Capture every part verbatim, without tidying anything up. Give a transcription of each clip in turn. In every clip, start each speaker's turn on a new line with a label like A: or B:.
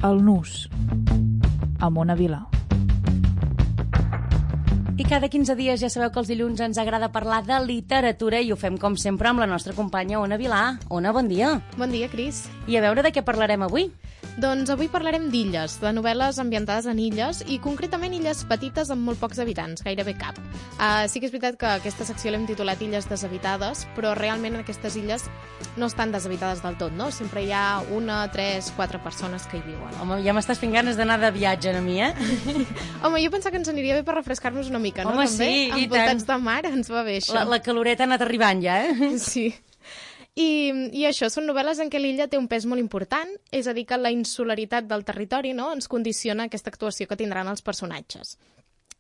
A: El Nus, a Mona Vila.
B: I cada quinze dies ja sabeu que els dilluns ens agrada parlar de literatura i ho fem com sempre amb la nostra companya Ona Vilà. Ona, bon dia.
C: Bon dia, Cris.
B: I a veure de què parlarem avui?
C: Doncs avui parlarem d'illes, de novel·les ambientades en illes i concretament illes petites amb molt pocs habitants, gairebé cap. Uh, sí que és veritat que aquesta secció l'hem titulat Illes deshabitades, però realment aquestes illes no estan deshabitades del tot, no? Sempre hi ha una, tres, quatre persones que hi viuen.
B: Home, ja m'estàs fent ganes d'anar de viatge a mi, eh?
C: Home, jo pensava que ens aniria bé per refrescar-nos una mica, no?
B: Home,
C: També,
B: sí, i
C: envoltats
B: tant.
C: de mar, ens va bé això.
B: La, la caloreta ha anat arribant ja, eh?
C: Sí. I, I això, són novel·les en què l'illa té un pes molt important, és a dir, que la insularitat del territori, no?, ens condiciona aquesta actuació que tindran els personatges.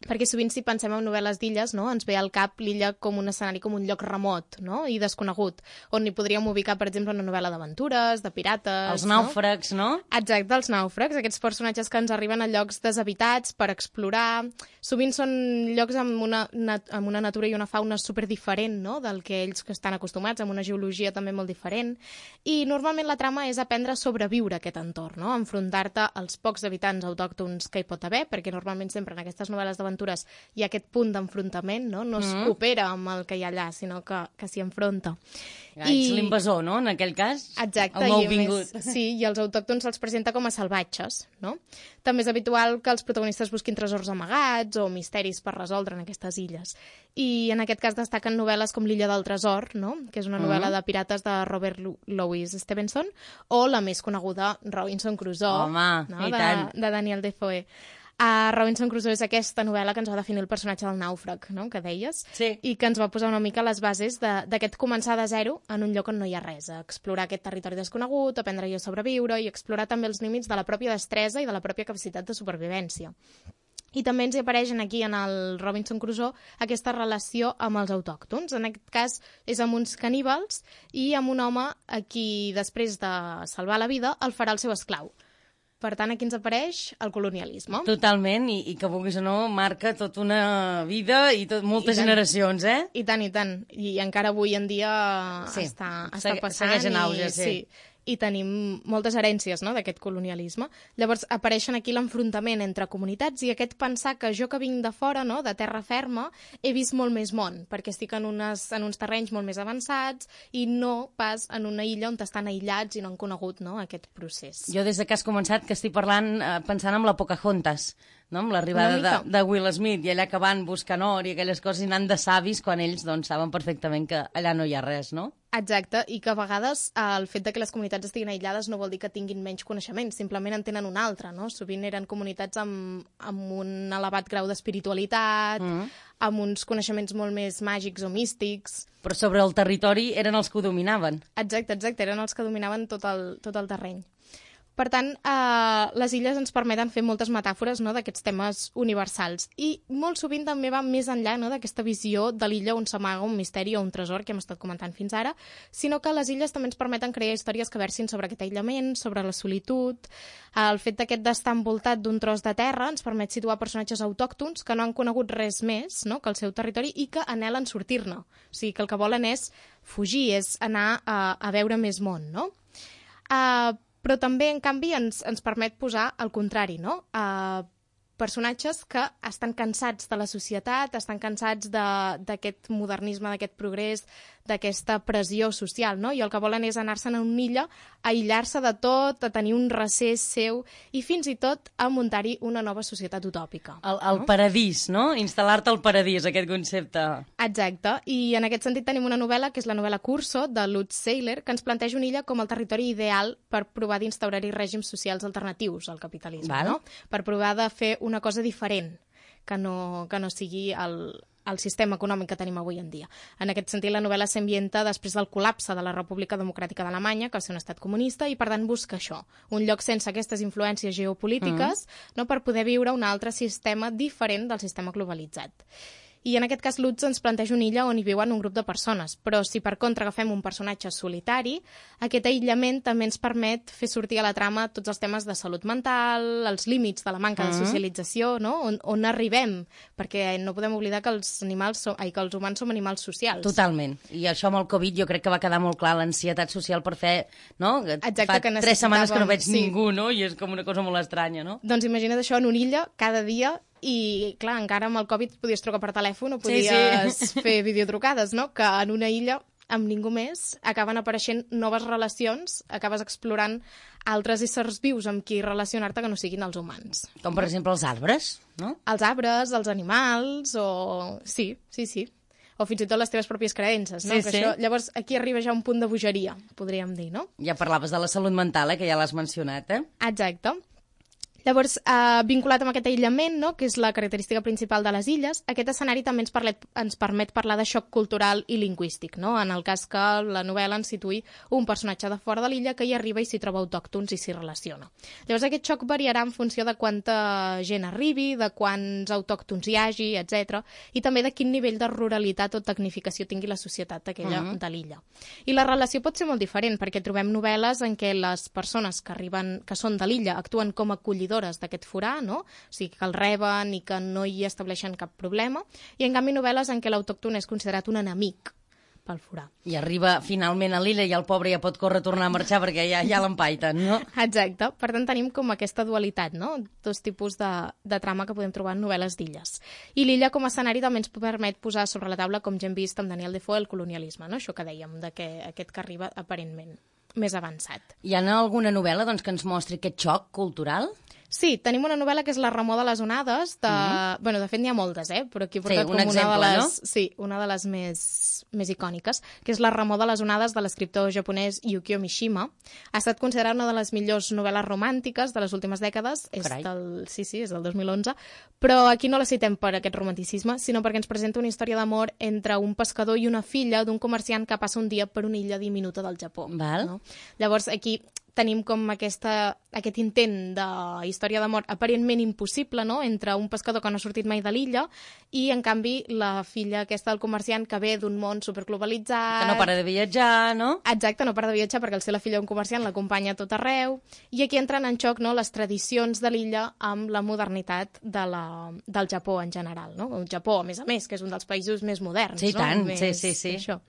C: Perquè sovint si pensem en novel·les d'illes, no?, ens ve al cap l'illa com un escenari, com un lloc remot, no?, i desconegut, on hi podríem ubicar, per exemple, una novel·la d'aventures, de pirates...
B: Els nàufrags, no?
C: no? Exacte, els nàufrags, aquests personatges que ens arriben a llocs deshabitats per explorar. Sovint són llocs amb una, amb una natura i una fauna superdiferent, no?, del que ells que estan acostumats, amb una geologia també molt diferent. I normalment la trama és aprendre a sobreviure a aquest entorn, no?, enfrontar-te als pocs habitants autòctons que hi pot haver, perquè normalment sempre en aquestes novel·les d'aventures hi ha aquest punt d'enfrontament, no? No es mm. coopera amb el que hi ha allà, sinó que, que s'hi enfronta.
B: Ja, I... Ets l'invasor, no?, en aquell cas.
C: Exacte.
B: El
C: nouvingut. Més, sí, i els autòctons se'ls presenta com a salvatges, no? També és habitual que els protagonistes busquin tresors amagats o misteris per resoldre en aquestes illes. I en aquest cas destaquen novel·les com L'illa del tresor, no?, que és una novel·la mm. de pirates de Robert Louis Stevenson, o la més coneguda, Robinson Crusoe,
B: Home,
C: no?,
B: i
C: de,
B: tant.
C: de Daniel Defoe. Uh, Robinson Crusoe és aquesta novel·la que ens va definir el personatge del nàufrag, no?, que deies,
B: sí.
C: I que ens va posar una mica les bases d'aquest començar de zero en un lloc on no hi ha res, a explorar aquest territori desconegut, aprendre-hi a sobreviure i explorar també els límits de la pròpia destresa i de la pròpia capacitat de supervivència. I també ens hi apareix aquí en el Robinson Crusoe aquesta relació amb els autòctons. En aquest cas és amb uns caníbals i amb un home a qui després de salvar la vida el farà el seu esclau. Per tant, aquí ens apareix el colonialisme.
B: Totalment, i, i que vulguis o no, marca tota una vida i tot, moltes I generacions, eh?
C: I tant, i tant. I encara avui en dia sí. està, està passant.
B: Segueix en auge,
C: i,
B: sí.
C: sí. I tenim moltes herències, no?, d'aquest colonialisme. Llavors apareixen aquí l'enfrontament entre comunitats i aquest pensar que jo que vinc de fora, no?, de terra ferma, he vist molt més món, perquè estic en, unes, en uns terrenys molt més avançats i no pas en una illa on estan aïllats i no han conegut, no?, aquest procés.
B: Jo des que has començat que estic parlant, eh, pensant en la Pocahontas, no?, amb l'arribada de, de Will Smith i allà que van buscant or i aquelles coses i anant de savis quan ells doncs, saben perfectament que allà no hi ha res, no?
C: Exacte, i que a vegades eh, el fet de que les comunitats estiguin aïllades no vol dir que tinguin menys coneixements, simplement en tenen un altre, no? Sovint eren comunitats amb, amb un elevat grau d'espiritualitat, mm. amb uns coneixements molt més màgics o místics.
B: Però sobre el territori eren els que ho dominaven.
C: Exacte, exacte, eren els que dominaven tot el, tot el terreny. Per tant, eh, les illes ens permeten fer moltes metàfores, no?, d'aquests temes universals. I molt sovint també va més enllà, no?, d'aquesta visió de l'illa on s'amaga un misteri o un tresor que hem estat comentant fins ara, sinó que les illes també ens permeten crear històries que versin sobre aquest aïllament, sobre la solitud. El fet d'aquest d'estar envoltat d'un tros de terra ens permet situar personatges autòctons que no han conegut res més, no?, que el seu territori i que anhelen sortir-ne. O sigui, que el que volen és fugir, és anar a, a veure més món, no? Uh, Però també, en canvi, ens, ens permet posar el contrari, no? Uh, personatges que estan cansats de la societat, estan cansats d'aquest modernisme, d'aquest progrés, d'aquesta pressió social, no? I el que volen és anar-se'n a una illa, aïllar-se de tot, a tenir un recés seu i fins i tot a muntar-hi una nova societat utòpica.
B: El, el no? paradís, no? Instal·lar-te al paradís, aquest concepte.
C: Exacte, i en aquest sentit tenim una novel·la, que és la novel·la Curso, de Lutz Seiler, que ens planteja una illa com el territori ideal per provar d'instaurar-hi règims socials alternatius al capitalisme,
B: Val.
C: no? Per provar de fer una cosa diferent, que no, que no sigui el, el sistema econòmic que tenim avui en dia. En aquest sentit, la novel·la s'ambienta després del col·lapse de la República Democràtica d'Alemanya, que va ser un estat comunista, i per tant busca això, un lloc sense aquestes influències geopolítiques, mm. no, per poder viure un altre sistema diferent del sistema globalitzat. I en aquest cas Lutz ens planteja una illa on hi viuen un grup de persones, però si per contra agafem un personatge solitari, aquest aïllament també ens permet fer sortir a la trama tots els temes de salut mental, els límits de la manca de socialització, no? on, on arribem, perquè no podem oblidar que els animals som, ai, que els humans som animals socials.
B: Totalment. I això amb el Covid jo crec que va quedar molt clar, l'ansietat social per fer, no?
C: Exacte,
B: fa
C: que
B: tres setmanes que no veig
C: sí.
B: ningú, no? I és com una cosa molt estranya, no?
C: Doncs imagina't això en una illa, cada dia, i clar, encara amb el Covid podies trucar per telèfon o podies
B: sí, sí.
C: fer videotrucades, no? Que en una illa, amb ningú més, acaben apareixent noves relacions, acabes explorant altres éssers vius amb qui relacionar-te que no siguin els humans.
B: Com per exemple els arbres, no?
C: Els arbres, els animals, o... Sí, sí, sí. O fins i tot les teves pròpies creences, no?
B: Sí,
C: que
B: sí.
C: això, llavors, aquí arriba ja un punt de bogeria, podríem dir, no?
B: Ja parlaves de la salut mental, eh? Que ja l'has mencionat, eh?
C: Exacte. Llavors, eh, vinculat amb aquest aïllament, no? Que és la característica principal de les illes, aquest escenari també ens, parlet, ens permet parlar de xoc cultural i lingüístic, no? En el cas que la novel·la ens situï un personatge de fora de l'illa que hi arriba i s'hi troba autòctons i s'hi relaciona. Llavors, aquest xoc variarà en funció de quanta gent arribi, de quants autòctons hi hagi, etcètera, i també de quin nivell de ruralitat o tecnificació tingui la societat aquella uh-huh. de l'illa. I la relació pot ser molt diferent, perquè trobem novel·les en què les persones que arriben, que són de l'illa, actuen com a acollidores d'aquest forà, no? O sigui, que el reben i que no hi estableixen cap problema, i en canvi novel·les en què l'autòcton és considerat un enemic pel forà.
B: I arriba finalment a l'illa i el pobre ja pot córrer a tornar a marxar perquè ja, ja l'empaiten, no?
C: Exacte. Per tant, tenim com aquesta dualitat, no? Dos tipus de, de trama que podem trobar en novel·les d'illes. I l'illa com a escenari també ens permet posar sobre la taula, com ja hem vist amb Daniel Defoe, el colonialisme, no? Això que dèiem, de que aquest que arriba aparentment més avançat.
B: Hi ha alguna novel·la doncs, que ens mostri aquest xoc cultural?
C: Sí, tenim una novel·la que és La remor de les onades, de... Mm. Bueno, de fet n'hi ha moltes, eh? Però aquí he portat
B: sí, un
C: com
B: exemple,
C: una de les...
B: no?
C: Sí, una de les més, més icòniques, que és La remor de les onades de l'escriptor japonès Yukio Mishima. Ha estat considerada una de les millors novel·les romàntiques de les últimes dècades. És del... Sí, sí, és del dos mil onze. Però aquí no la citem per aquest romanticisme, sinó perquè ens presenta una història d'amor entre un pescador i una filla d'un comerciant que passa un dia per una illa diminuta del Japó.
B: Val.
C: No? Llavors, aquí tenim com aquesta, aquest intent de història d'amor aparentment impossible, no?, entre un pescador que no ha sortit mai de l'illa i, en canvi, la filla aquesta del comerciant que ve d'un món superglobalitzat...
B: Que no para de viatjar, no?
C: Exacte, no para de viatjar perquè el ser la filla d'un comerciant l'acompanya a tot arreu. I aquí entren en xoc, no?, les tradicions de l'illa amb la modernitat de la, del Japó en general, no? El Japó, a més a més, que és un dels països més moderns,
B: sí,
C: no?
B: Tant.
C: Més,
B: sí, sí, sí.
C: Això.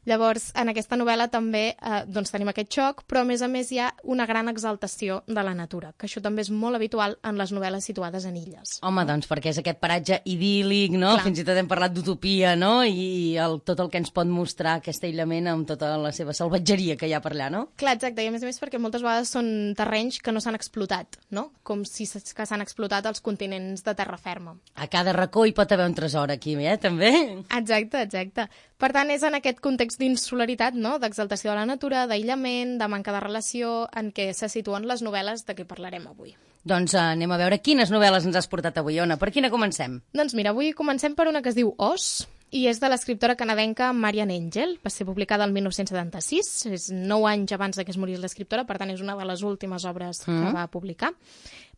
C: Llavors, en aquesta novel·la també eh, doncs tenim aquest xoc, però a més a més hi ha una gran exaltació de la natura, que això també és molt habitual en les novel·les situades en illes.
B: Home, doncs perquè és aquest paratge idíl·lic, no? Clar. Fins i tot hem parlat d'utopia, no? I el, tot el que ens pot mostrar aquest aïllament amb tota la seva salvatgeria que hi ha per allà, no?
C: Clar, exacte, i a més a més perquè moltes vegades són terrenys que no s'han explotat, no? Com si que s'han explotat els continents de terra ferma.
B: A cada racó hi pot haver un tresor aquí, eh? També.
C: Exacte, exacte. Per tant, és en aquest context d'insularitat, no?, d'exaltació de la natura, d'aïllament, de manca de relació, en què se situen les novel·les de què parlarem avui.
B: Doncs uh, anem a veure quines novel·les ens has portat avui, Ona. Per quina comencem?
C: Doncs mira, avui comencem per una que es diu Os, i és de l'escriptora canadenca Marian Engel. Va ser publicada el dinou setanta-sis, és nou anys abans de que es morís l'escriptora, per tant és una de les últimes obres mm. que va publicar.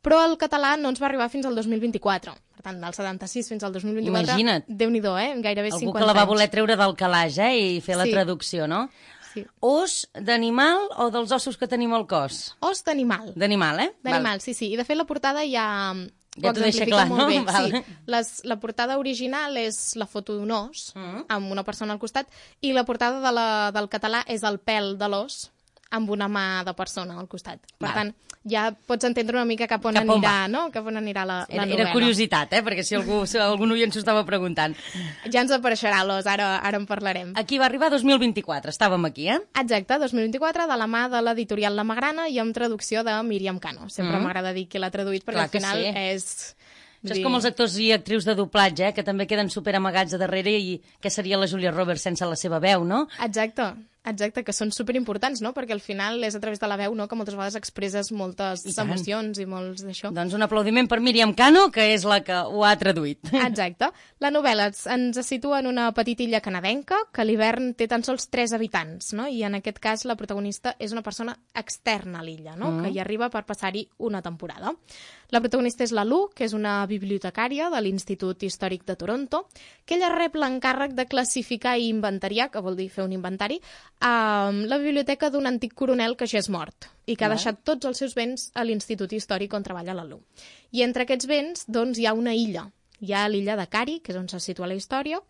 C: Però el català no ens va arribar fins al dos mil vint-i-quatre. Per tant, del setanta-sis fins al dos mil vint-i-quatre...
B: Imagina't.
C: Déu-n'hi-do, eh? Gairebé
B: Algú
C: cinquanta anys.
B: Algú que la va voler treure del calaix, eh? I fer la
C: sí.
B: traducció, no?
C: Sí.
B: Os d'animal o dels ossos que tenim al cos?
C: Os d'animal.
B: D'animal, eh?
C: D'animal, sí, sí. I de fet la portada ja...
B: Ja t'ho deixa clar, no?
C: Bé.
B: Val.
C: Sí. Les, la portada original és la foto d'un os, mm. amb una persona al costat, i la portada de la, del català és el pèl de l'os, amb una mà de persona al costat. Per
B: Val.
C: tant, ja pots entendre una mica cap on
B: cap on
C: anirà,
B: va.
C: no? Cap on anirà la, la
B: era,
C: novel·la.
B: Era curiositat, eh? Perquè si algú, si algun oient s'ho estava preguntant.
C: Ja ens apareixerà l'os, ara, ara en parlarem.
B: Aquí va arribar dos mil vint-i-quatre, estàvem aquí, eh?
C: Exacte, dos mil vint-i-quatre, de la mà de l'editorial La Magrana i amb traducció de Míriam Cano. Sempre mm. m'agrada dir qui l'ha traduït, perquè
B: Clar
C: al final
B: sí.
C: és...
B: Això és com els actors i actrius de doblatge, eh? Que també queden super amagats a darrere i què seria la Julia Roberts sense la seva veu, no?
C: Exacte, Exacte, que són superimportants, no? Perquè al final és a través de la veu, no?, que moltes vegades expresses moltes I emocions i molts d'això.
B: Doncs un aplaudiment per Míriam Cano, que és la que ho ha traduït.
C: Exacte. La novel·la ens situa en una petita illa canadenca que a l'hivern té tan sols tres habitants, no? I en aquest cas la protagonista és una persona externa a l'illa, no? Mm. Que hi arriba per passar-hi una temporada. La protagonista és la Lu, que és una bibliotecària de l'Institut Històric de Toronto, que ella rep l'encàrrec de classificar i inventariar, que vol dir fer un inventari, a la biblioteca d'un antic coronel que ja és mort i que ha deixat tots els seus béns a l'Institut Històric on treballa la Lu. I entre aquests béns, doncs, hi ha una illa. Hi ha l'illa de Cari, que és on se situa la història,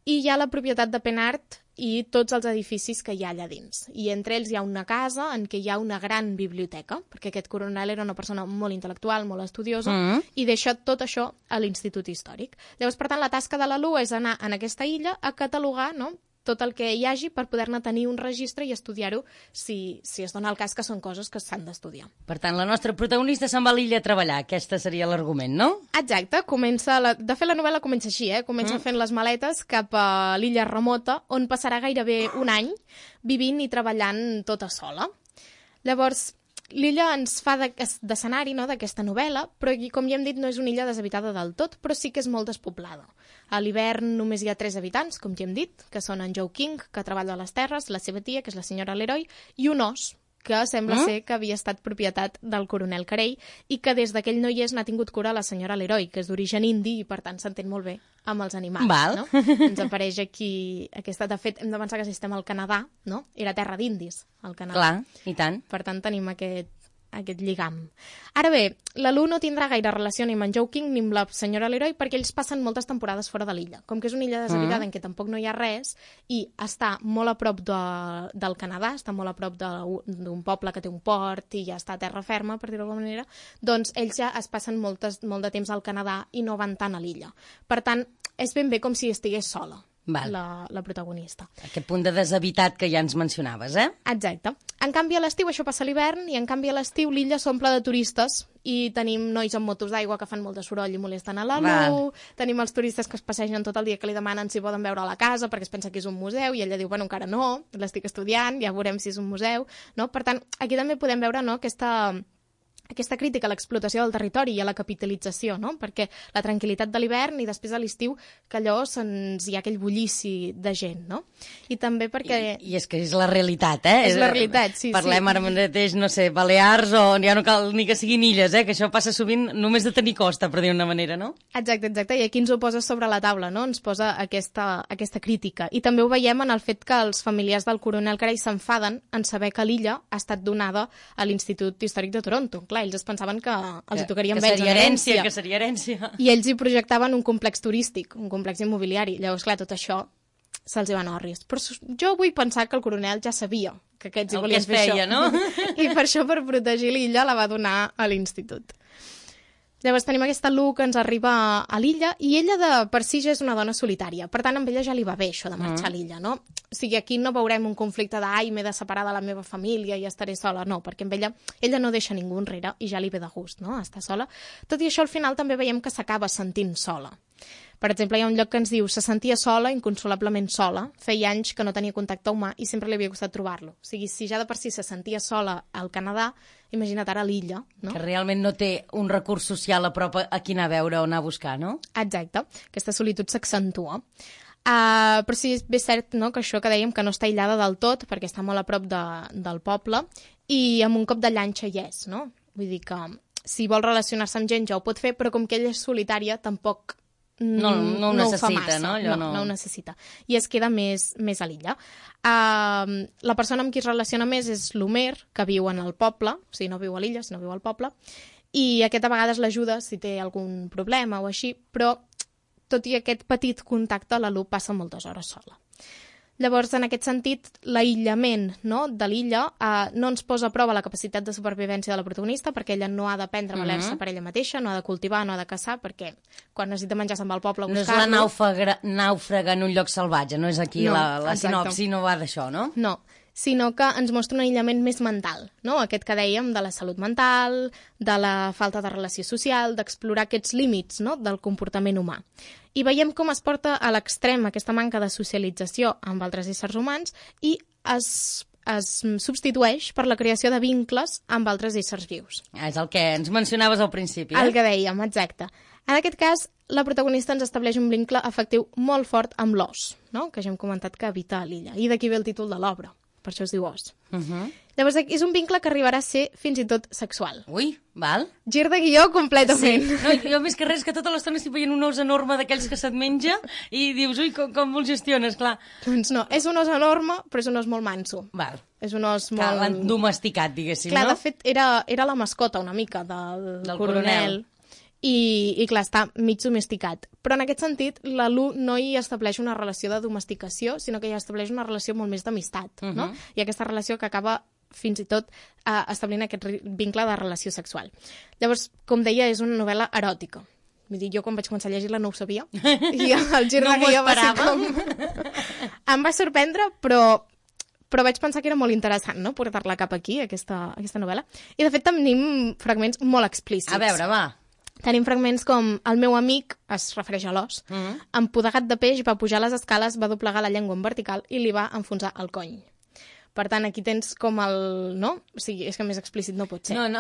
C: i hi ha la propietat de Penart i tots els edificis que hi ha allà dins. I entre ells hi ha una casa en què hi ha una gran biblioteca, perquè aquest coronel era una persona molt intel·lectual, molt estudiosa, mm. i deixa tot això a l'Institut Històric. Llavors, per tant, la tasca de la Lu és anar en aquesta illa a catalogar, no?, tot el que hi hagi per poder-ne tenir un registre i estudiar-ho si, si es dona el cas que són coses que s'han d'estudiar.
B: Per tant, la nostra protagonista se'n va a l'illa a treballar. Aquesta seria l'argument, no?
C: Exacte. Comença la... De fet, la novel·la comença així, eh? Comença mm. fent les maletes cap a l'illa remota, on passarà gairebé un any vivint i treballant tota sola. Llavors, l'illa ens fa d'escenari, no?, d'aquesta novel·la, però com ja hem dit no és una illa deshabitada del tot, però sí que és molt despoblada. A l'hivern només hi ha tres habitants, com ja hem dit, que són en Joe King, que treballa a les terres, la seva tia, que és la senyora Leroy, i un os, que sembla mm? ser que havia estat propietat del coronel Carey i que des d'aquell no hi és n'ha tingut cura la senyora Leroy, que és d'origen indi i per tant s'entén molt bé amb els animals.
B: Val.
C: No? Ens apareix aquí aquesta... De fet, hem de pensar que si estem al Canadà, no? Era terra d'indis, al Canadà.
B: Clar, i tant.
C: Per tant, tenim aquest, aquest lligam. Ara bé, la Lu no tindrà gaire relació ni amb en Joe King ni amb la senyora Leroy perquè ells passen moltes temporades fora de l'illa. Com que és una illa deshabitada mm. en què tampoc no hi ha res i està molt a prop de, del Canadà, està molt a prop d'un poble que té un port i ja està a terra ferma, per dir-ho d'alguna manera, doncs ells ja es passen moltes, molt de temps al Canadà i no van tant a l'illa. Per tant, és ben bé com si estigués sola. La, la protagonista.
B: Aquest punt de deshabitat que ja ens mencionaves, eh?
C: Exacte. En canvi, a l'estiu, això passa a l'hivern, i en canvi a l'estiu l'illa s'omple de turistes i tenim nois amb motos d'aigua que fan molt de soroll i molesten a la Lu, tenim els turistes que es passegen tot el dia que li demanen si poden veure la casa perquè es pensa que és un museu i ella diu, bueno, encara no, l'estic estudiant, ja veurem si és un museu, no? Per tant, aquí també podem veure, no?, aquesta... aquesta crítica a l'explotació del territori i a la capitalització, no? Perquè la tranquil·litat de l'hivern i després a l'estiu que allò se'ns hi ha aquell bullici de gent, no? I també perquè...
B: I, i és que és la realitat, eh?
C: És la realitat, sí,
B: Parlem
C: sí.
B: ara mateix, no sé, Balears o ja no cal ni que siguin illes, eh? Que això passa sovint només de tenir costa, per dir una manera, no?
C: Exacte, exacte, i aquí ens ho posa sobre la taula, no? Ens posa aquesta, aquesta crítica. I també ho veiem en el fet que els familiars del coronel Carey s'enfaden en saber que l'illa ha estat donada a l'Institut Històric de Toronto. Clar, ells es pensaven que els hi tocaria amb ells
B: en herència. Que seria herència.
C: I ells hi projectaven un complex turístic, un complex immobiliari. Llavors, clar, tot això se'ls hi van orris. Però jo vull pensar que el coronel ja sabia que aquests hi volien fer
B: feia,
C: això.
B: No?
C: I per això, per protegir l'illa, la va donar a l'institut. Llavors tenim aquesta Lu que ens arriba a l'illa i ella de per si ja és una dona solitària. Per tant, amb ella ja li va bé això de marxar mm. a l'illa, no? O sigui, aquí no veurem un conflicte de ai, m'he de separar de la meva família i estaré sola. No, perquè amb ella, ella no deixa ningú enrere i ja li ve de gust, no?, estar sola. Tot i això, al final també veiem que s'acaba sentint sola. Per exemple, hi ha un lloc que ens diu se sentia sola, inconsolablement sola, feia anys que no tenia contacte humà i sempre li havia costat trobar-lo. O sigui, si ja de per si se sentia sola al Canadà, imagina't ara a l'illa, no?
B: Que realment no té un recurs social a prop a qui anar a veure o anar a buscar, no?
C: Exacte. Aquesta solitud s'accentua. Uh, però sí, és bé cert, no?, que això que dèiem que no està aïllada del tot, perquè està molt a prop de, del poble, i amb un cop de llanxa hi és, no? Vull dir que si vol relacionar-se amb gent ja ho pot fer, però com que ella és solitària, tampoc
B: no, no ho
C: no
B: necessita,
C: ho fa massa.
B: No? Allò
C: no,
B: no...
C: no ho necessita. I es queda més, més a l'illa. Uh, la persona amb qui es relaciona més és l'Homer, que viu en el poble, o sigui, no viu a l'illa, sinó viu al poble, i aquest a vegades l'ajuda si té algun problema o així, però tot i aquest petit contacte, la Lu passa moltes hores sola. Llavors, en aquest sentit, l'aïllament, no?, de l'illa eh, no ens posa a prova la capacitat de supervivència de la protagonista, perquè ella no ha d'aprendre a valer-se mm-hmm. per ella mateixa, no ha de cultivar, no ha de caçar, perquè quan necessita menjar se'n va al poble a buscar-lo.
B: No és la nàufraga, nàufraga en un lloc salvatge, no és aquí
C: no,
B: la, la sinopsi, no va d'això, no?
C: No. sinó que ens mostra un aïllament més mental, no? Aquest que dèiem de la salut mental, de la falta de relació social, d'explorar aquests límits, no?, del comportament humà. I veiem com es porta a l'extrem aquesta manca de socialització amb altres éssers humans i es, es substitueix per la creació de vincles amb altres éssers vius.
B: És el que ens mencionaves al principi, eh?
C: El que dèiem, exacte. En aquest cas, la protagonista ens estableix un vincle afectiu molt fort amb l'os, no?, que ja hem comentat que habita a l'illa. I d'aquí ve el títol de l'obra. Per això es diu os.
B: Uh -huh.
C: Llavors, és un vincle que arribarà a ser fins i tot sexual.
B: Ui, val.
C: Gir de guió completament.
B: Sí. No, jo més que res que tota l'estona estic veient un os enorme d'aquells que se't menja i dius, ui, com, com el gestiones, clar.
C: Doncs no, és un os enorme, però és un os molt manso.
B: Val.
C: És un os molt...
B: Que l'han domesticat, diguéssim,
C: clar,
B: no?
C: Clar, de fet, era, era la mascota una mica del,
B: del
C: coronel.
B: coronel.
C: I, i clar, està mig domesticat. Però en aquest sentit, la Lu no hi estableix una relació de domesticació, sinó que hi estableix una relació molt més d'amistat, uh -huh. no? I aquesta relació que acaba fins i tot eh, establint aquest vincle de relació sexual. Llavors, com deia, és una novel·la eròtica. Vull dir, jo quan vaig començar a llegir-la no ho sabia. I el gir
B: no
C: de guió va ser
B: com...
C: em va sorprendre, però... però vaig pensar que era molt interessant, no?, portar-la cap aquí, aquesta, aquesta novel·la. I, de fet, tenim fragments molt explícits.
B: A veure, va.
C: Tenim fragments com el meu amic, es refereix a l'os,
B: uh -huh.
C: empodegat de peix, va pujar les escales, va doblegar la llengua en vertical i li va enfonsar el cony. Per tant, aquí tens com el... no? O sigui, és que més explícit no pot ser.
B: No, no.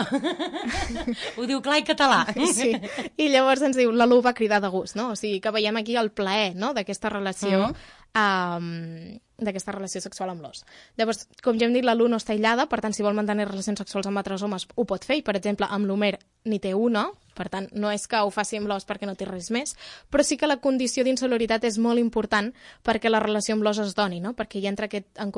B: Ho diu clar i català.
C: Sí. I llavors ens diu, la Lu va cridar de gust, no? O sigui, que veiem aquí el plaer, no?, d'aquesta relació... Uh -huh. um, d'aquesta relació sexual amb l'os. Llavors, com ja hem dit, la Lu no està aïllada, per tant, si vol mantenir relacions sexuals amb altres homes, ho pot fer, i, per exemple, amb l'Homer n'hi té una, per tant, no és que ho faci amb l'os perquè no té res més, però sí que la condició d'insolidaritat és molt important perquè la relació amb l'os es doni, no?, perquè hi entra aquest, en,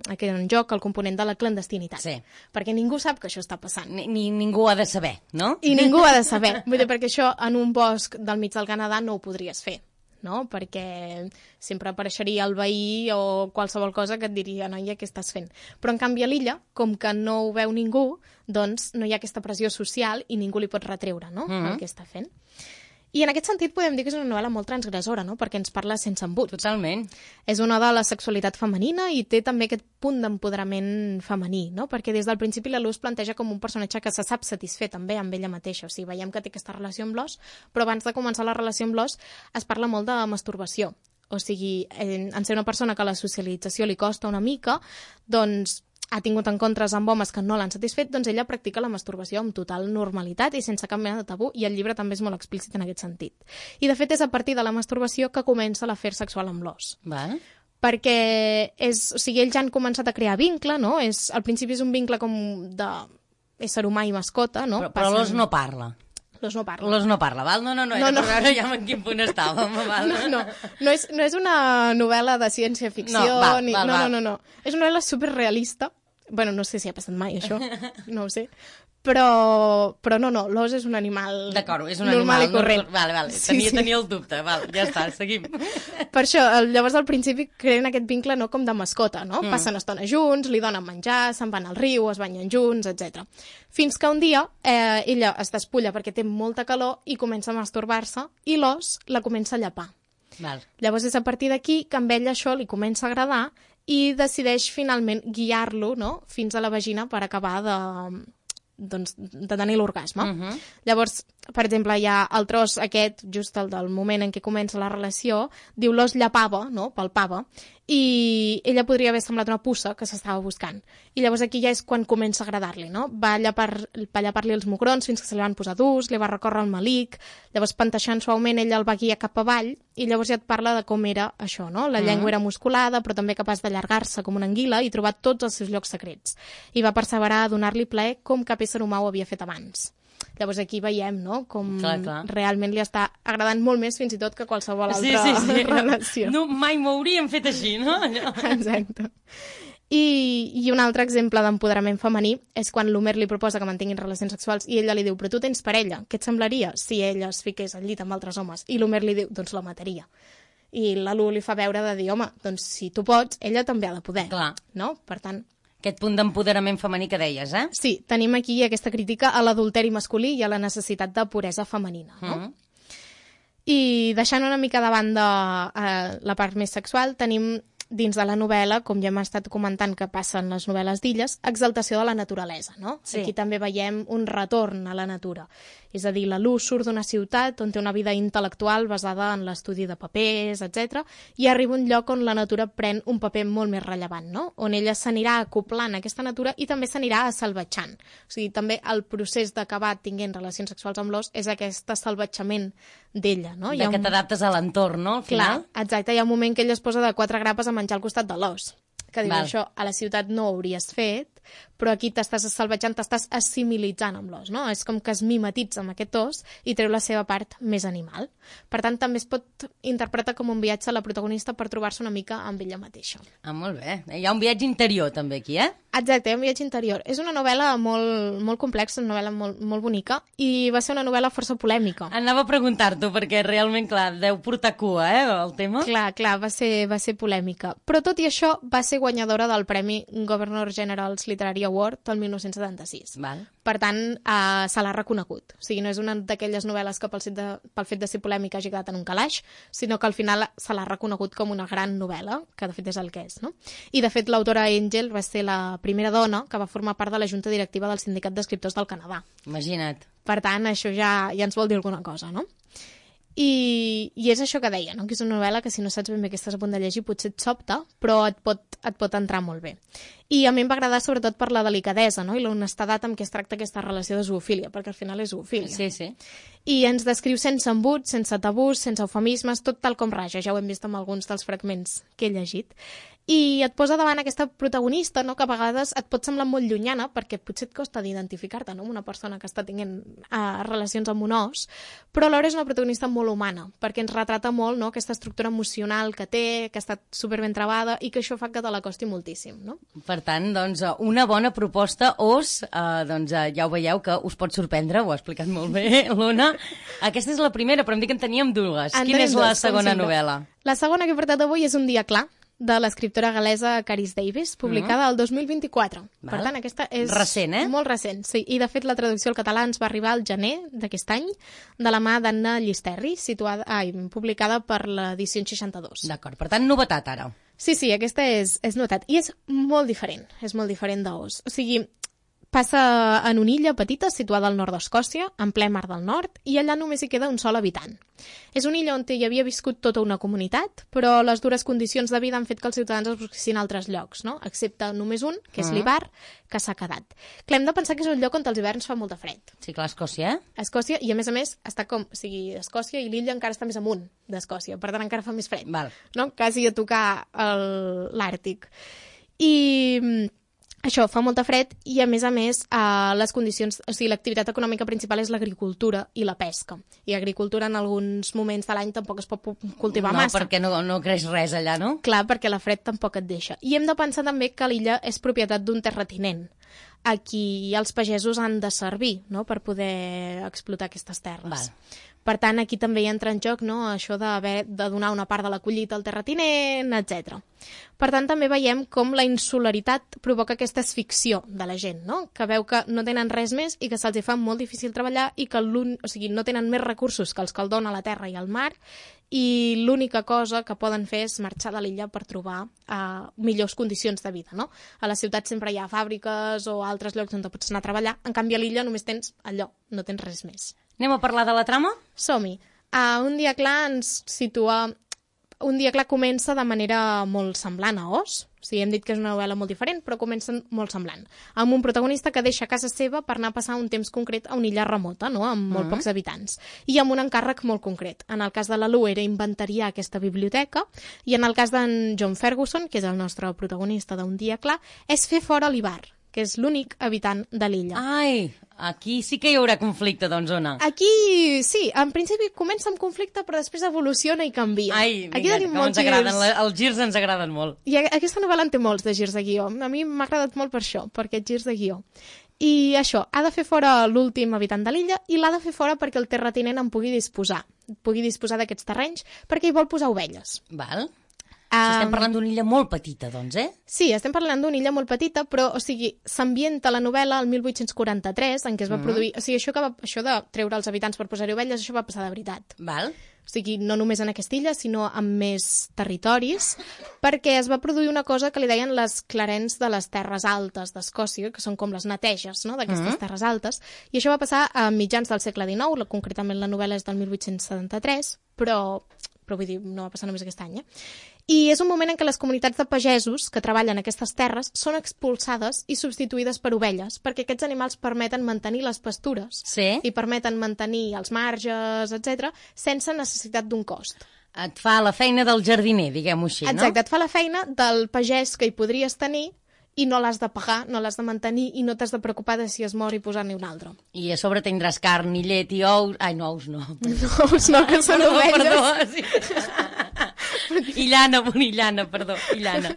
C: aquest en joc el component de la clandestinitat.
B: Sí.
C: Perquè ningú sap que això està passant.
B: Ni, ni ningú ha de saber, no?
C: I ningú ha de saber. Vull dir, perquè això en un bosc del mig del Canadà no ho podries fer, no? Perquè sempre apareixeria el veí o qualsevol cosa que et diria, noia, què estàs fent? Però, en canvi, a l'illa, com que no ho veu ningú, doncs no hi ha aquesta pressió social i ningú li pot retreure, no?,
B: uh-huh.
C: el que està fent. I en aquest sentit podem dir que és una novel·la molt transgressora, no?, perquè ens parla sense embut.
B: Totalment.
C: És una de la sexualitat femenina i té també aquest punt d'empoderament femení, no?, perquè des del principi la Lu es planteja com un personatge que se sap satisfer també amb ella mateixa. O sigui, veiem que té aquesta relació amb l'os, però abans de començar la relació amb l'os es parla molt de masturbació. O sigui, en, en ser una persona que la socialització li costa una mica, doncs ha tingut encontres amb homes que no l'han satisfet, doncs ella practica la masturbació amb total normalitat i sense cap mena de tabú, i el llibre també és molt explícit en aquest sentit. I, de fet, és a partir de la masturbació que comença l'afer sexual amb l'os.
B: Val.
C: Perquè és, o sigui, ells ja han començat a crear vincle, no? És, al principi és un vincle com d'ésser humà i mascota, no?
B: Però, però
C: Passen...
B: l'os no parla.
C: L'os no parla.
B: L'os no parla, val? No, no, no, era no, no. per veure ja en quin punt estàvem, val?
C: No, no, no és, no és una novel·la de ciència-ficció,
B: no, val,
C: ni...
B: val,
C: no,
B: val.
C: no, no, no. És una novel·la superrealista. Bueno, no sé si ha passat mai, això. No ho sé. Però, però no, no, l'os és un animal
B: D'acord, és un
C: normal
B: animal
C: i corrent.
B: No, vale, vale.
C: Sí,
B: Tenia,
C: sí.
B: tenia el dubte, val, ja està, seguim.
C: Per això, llavors al principi creen aquest vincle no com de mascota, no? Mm. Passen estona junts, li donen menjar, se'n van al riu, es banyen junts, etcètera. Fins que un dia eh, ella es despulla perquè té molta calor i comença a masturbar-se i l'os la comença a llepar.
B: Val.
C: Llavors és a partir d'aquí que amb ell això li comença a agradar i decideix finalment guiar-lo, no?, fins a la vagina per acabar de, doncs, de tenir l'orgasme. Uh -huh. Llavors, per exemple, hi ha el tros aquest, just el del moment en què comença la relació, diu l'os llepava, no?, palpava, i ella podria haver semblat una puça que s'estava buscant. I llavors aquí ja és quan comença a agradar-li, no? Va llepar, va llepar-li els mugrons fins que se li van posar durs, li va recórrer el malic, llavors panteixant suaument ella el va guiar cap avall i llavors ja et parla de com era això, no? La llengua era musculada però també capaç d'allargar-se com una anguila i trobar tots els seus llocs secrets. I va perseverar a donar-li plaer com cap ésser humà ho havia fet abans. Llavors aquí veiem, no?, com
B: clar, clar.
C: realment li està agradant molt més fins i tot que qualsevol altra
B: sí, sí, sí.
C: relació.
B: No, mai m'ho hauríem fet així, no?
C: Exacte. I, I un altre exemple d'empoderament femení és quan l'Homer li proposa que mantinguin relacions sexuals i ella li diu, però tu tens parella, què et semblaria si ella es fiqués al llit amb altres homes? I l'Homer li diu, doncs la mataria. I la Lu li fa veure de dir, home, doncs si tu pots, ella també ha de poder.
B: Clar.
C: No? Per tant...
B: Aquest punt d'empoderament femení que deies, eh?
C: Sí, tenim aquí aquesta crítica a l'adulteri masculí i a la necessitat de puresa femenina, no? Mm. I deixant una mica de banda eh, la part més sexual, tenim dins de la novel·la, com ja hem estat comentant que passen les novel·les d'Illes, exaltació de la naturalesa, no?
B: Sí.
C: Aquí també veiem un retorn a la natura. És a dir, la Luz surt d'una ciutat on té una vida intel·lectual basada en l'estudi de papers, etcètera, i arriba a un lloc on la natura pren un paper molt més rellevant, no? On ella s'anirà acoplant a aquesta natura i també s'anirà salvatjant. O sigui, també el procés d'acabar tinguent relacions sexuals amb l'os és aquest salvatjament d'ella, no?
B: De que
C: un...
B: t'adaptes a l'entorn, no? Al final.
C: Clar, exacte, hi ha un moment que ella es posa de quatre grapes a menjar al costat de l'os, que diu,
B: Val.
C: això a la ciutat no ho hauries fet, però aquí t'estàs salvatjant, t'estàs assimilitzant amb l'os, no? És com que es mimetitza amb aquest os i treu la seva part més animal. Per tant, també es pot interpretar com un viatge a la protagonista per trobar-se una mica amb ella mateixa.
B: Ah, molt bé. Hi ha un viatge interior, també, aquí, eh?
C: Exacte, hi ha un viatge interior. És una novel·la molt, molt complexa, una novel·la molt, molt bonica, i va ser una novel·la força polèmica.
B: Anava a preguntar-t'ho, perquè realment, clar, deu portar cua, eh, el tema.
C: Clar, clar, va ser, va ser polèmica. Però tot i això, va ser guanyadora del Premi Governor General's Literary Award el dinou setanta-sis.
B: Val.
C: Per tant, eh, se l'ha reconegut. O sigui, no és una d'aquelles novel·les que pel fet, de, pel fet de ser polèmica hagi quedat en un calaix, sinó que al final se l'ha reconegut com una gran novel·la, que de fet és el que és, no? I de fet l'autora Angel va ser la primera dona que va formar part de la junta directiva del Sindicat d'Escriptors del Canadà.
B: Imagina't.
C: Per tant, això ja, ja ens vol dir alguna cosa, no? I, i és això que deia, no? Que és una novel·la que si no saps ben bé què estàs a punt de llegir potser et sobta, però et pot, et pot entrar molt bé. I a mi em va agradar sobretot per la delicadesa, no? I l'honestedat amb què es tracta aquesta relació de zoofília, perquè al final és zoofília.
B: Sí, sí.
C: I ens descriu sense embuts, sense tabús, sense eufemismes, tot tal com raja, ja ho hem vist amb alguns dels fragments que he llegit. I et posa davant aquesta protagonista, no? Que a vegades et pot semblar molt llunyana, perquè potser et costa d'identificar-te, no? Amb una persona que està tenint uh, relacions amb un os, però alhora és una protagonista molt humana, perquè ens retrata molt, no? Aquesta estructura emocional que té, que ha estat superben trebada i que això fa que te la costi moltíssim, no?
B: Per tant, doncs, una bona proposta, Os, eh, doncs ja ho veieu que us pot sorprendre, ho ha explicat molt bé l'Ona. Aquesta és la primera, però em dic que en teníem dues.
C: En
B: Quina és la
C: dues,
B: segona novel·la?
C: La segona que he portat avui és Un dia clar, de l'escriptora gal·lesa Caris Davis, publicada el dos mil vint-i-quatre.
B: Val.
C: Per tant, aquesta és
B: recent, eh?
C: molt recent. Sí. I, de fet, la traducció al català ens va arribar al gener d'aquest any, de la mà d'Anna Llisterri, situada, ai, publicada per l'edició seixanta-dos.
B: D'acord, per tant, novetat ara.
C: Sí, sí, aquesta és, és novetat. I és molt diferent, és molt diferent d'Os. O sigui, passa en una illa petita situada al nord d'Escòcia, en ple Mar del Nord, i allà només hi queda un sol habitant. És una illa on hi havia viscut tota una comunitat, però les dures condicions de vida han fet que els ciutadans es busquessin a altres llocs, no? Excepte només un, que és
B: Mm.
C: l'Ibar, que s'ha quedat. Clar, hem de pensar que és un lloc on els hiverns fa molta fred.
B: Sí, clar, Escòcia, eh?
C: Escòcia, i a més a més, està com, o sigui, Escòcia i l'illa encara està més amunt d'Escòcia, per tant encara fa més fred.
B: Val.
C: No? Quasi a tocar el- l'Àrtic. I mm, això, fa molta fred i, a més a més, eh, les condicions, o sigui, l'activitat econòmica principal és l'agricultura i la pesca. I agricultura en alguns moments de l'any tampoc es pot pu- cultivar
B: no,
C: massa.
B: perquè no, no creix res allà, no?
C: Clar, perquè la fred tampoc et deixa. I hem de pensar també que l'illa és propietat d'un terratinent, a qui els pagesos han de servir, no?, per poder explotar aquestes terres.
B: Val.
C: Per tant, aquí també hi entra en joc, no?, això d'haver de donar una part de la collita al terratinent, etcètera. Per tant, també veiem com la insularitat provoca aquesta asficció de la gent, no?, que veu que no tenen res més i que se'ls hi fa molt difícil treballar i que l'un... o sigui, no tenen més recursos que els que el dona la terra i el mar, i l'única cosa que poden fer és marxar de l'illa per trobar uh, millors condicions de vida, no? A la ciutat sempre hi ha fàbriques o altres llocs on pots anar a treballar, en canvi a l'illa només tens allò, no tens res més.
B: Anem a parlar de la trama?
C: Som-hi. Uh, un dia clar ens situa... Un dia clar comença de manera molt semblant a Os. O sigui, hem dit que és una novel·la molt diferent, però comença molt semblant. Amb un protagonista que deixa casa seva per anar a passar un temps concret a una illa remota, no?, amb molt
B: Mm.
C: pocs habitants, i amb un encàrrec molt concret. En el cas de la Lu era inventariar aquesta biblioteca, i en el cas d'en John Ferguson, que és el nostre protagonista d'Un dia clar, és fer fora l'Ibar, que és l'únic habitant de l'illa.
B: Ai, aquí sí que hi haurà conflicte, doncs, Ona.
C: Aquí, sí, en principi comença amb conflicte, però després evoluciona i canvia.
B: Ai,
C: Aquí
B: vinga,
C: tenim
B: com
C: molts
B: ens agraden,
C: girs.
B: la- els girs ens agraden molt.
C: I a- aquesta novel·la en té molts de girs de guió. A mi m'ha agradat molt per això, per aquests girs de guió. I això, ha de fer fora l'últim habitant de l'illa i l'ha de fer fora perquè el terratinent en pugui disposar, pugui disposar d'aquests terrenys, perquè hi vol posar ovelles.
B: Val? Estem parlant d'una illa molt petita, doncs, eh?
C: Sí, estem parlant d'una illa molt petita, però, o sigui, s'ambienta la novel·la el mil vuit-cents quaranta-tres, en què es va mm. produir... O sigui, això, que va, això de treure els habitants per posar-hi ovelles, això va passar de veritat.
B: Val.
C: O sigui, no només en aquesta illa, sinó en més territoris, perquè es va produir una cosa que li deien les clarents de les terres altes d'Escòcia, que són com les neteges, no?, d'aquestes mm. terres altes, i això va passar a mitjans del segle dinou, concretament la novel·la és del mil vuit-cents setanta-tres, però, però vull dir, no va passar només aquest any, eh? I és un moment en què les comunitats de pagesos que treballen en aquestes terres són expulsades i substituïdes per ovelles, perquè aquests animals permeten mantenir les pastures
B: sí.
C: i permeten mantenir els marges, etcètera, sense necessitat d'un cost.
B: Et fa la feina del jardiner, diguem-ho així, no?
C: Exacte, et fa la feina del pagès que hi podries tenir i no l'has de pagar, no l'has de mantenir i no t'has de preocupar de si es mor i posar-ne un altre.
B: I a sobre tindràs carn i llet i ous... Ai, no, ous no.
C: No, ous no, que són
B: perdó,
C: ovelles.
B: Perdó, sí. I llana, i llana, perdó, i llana.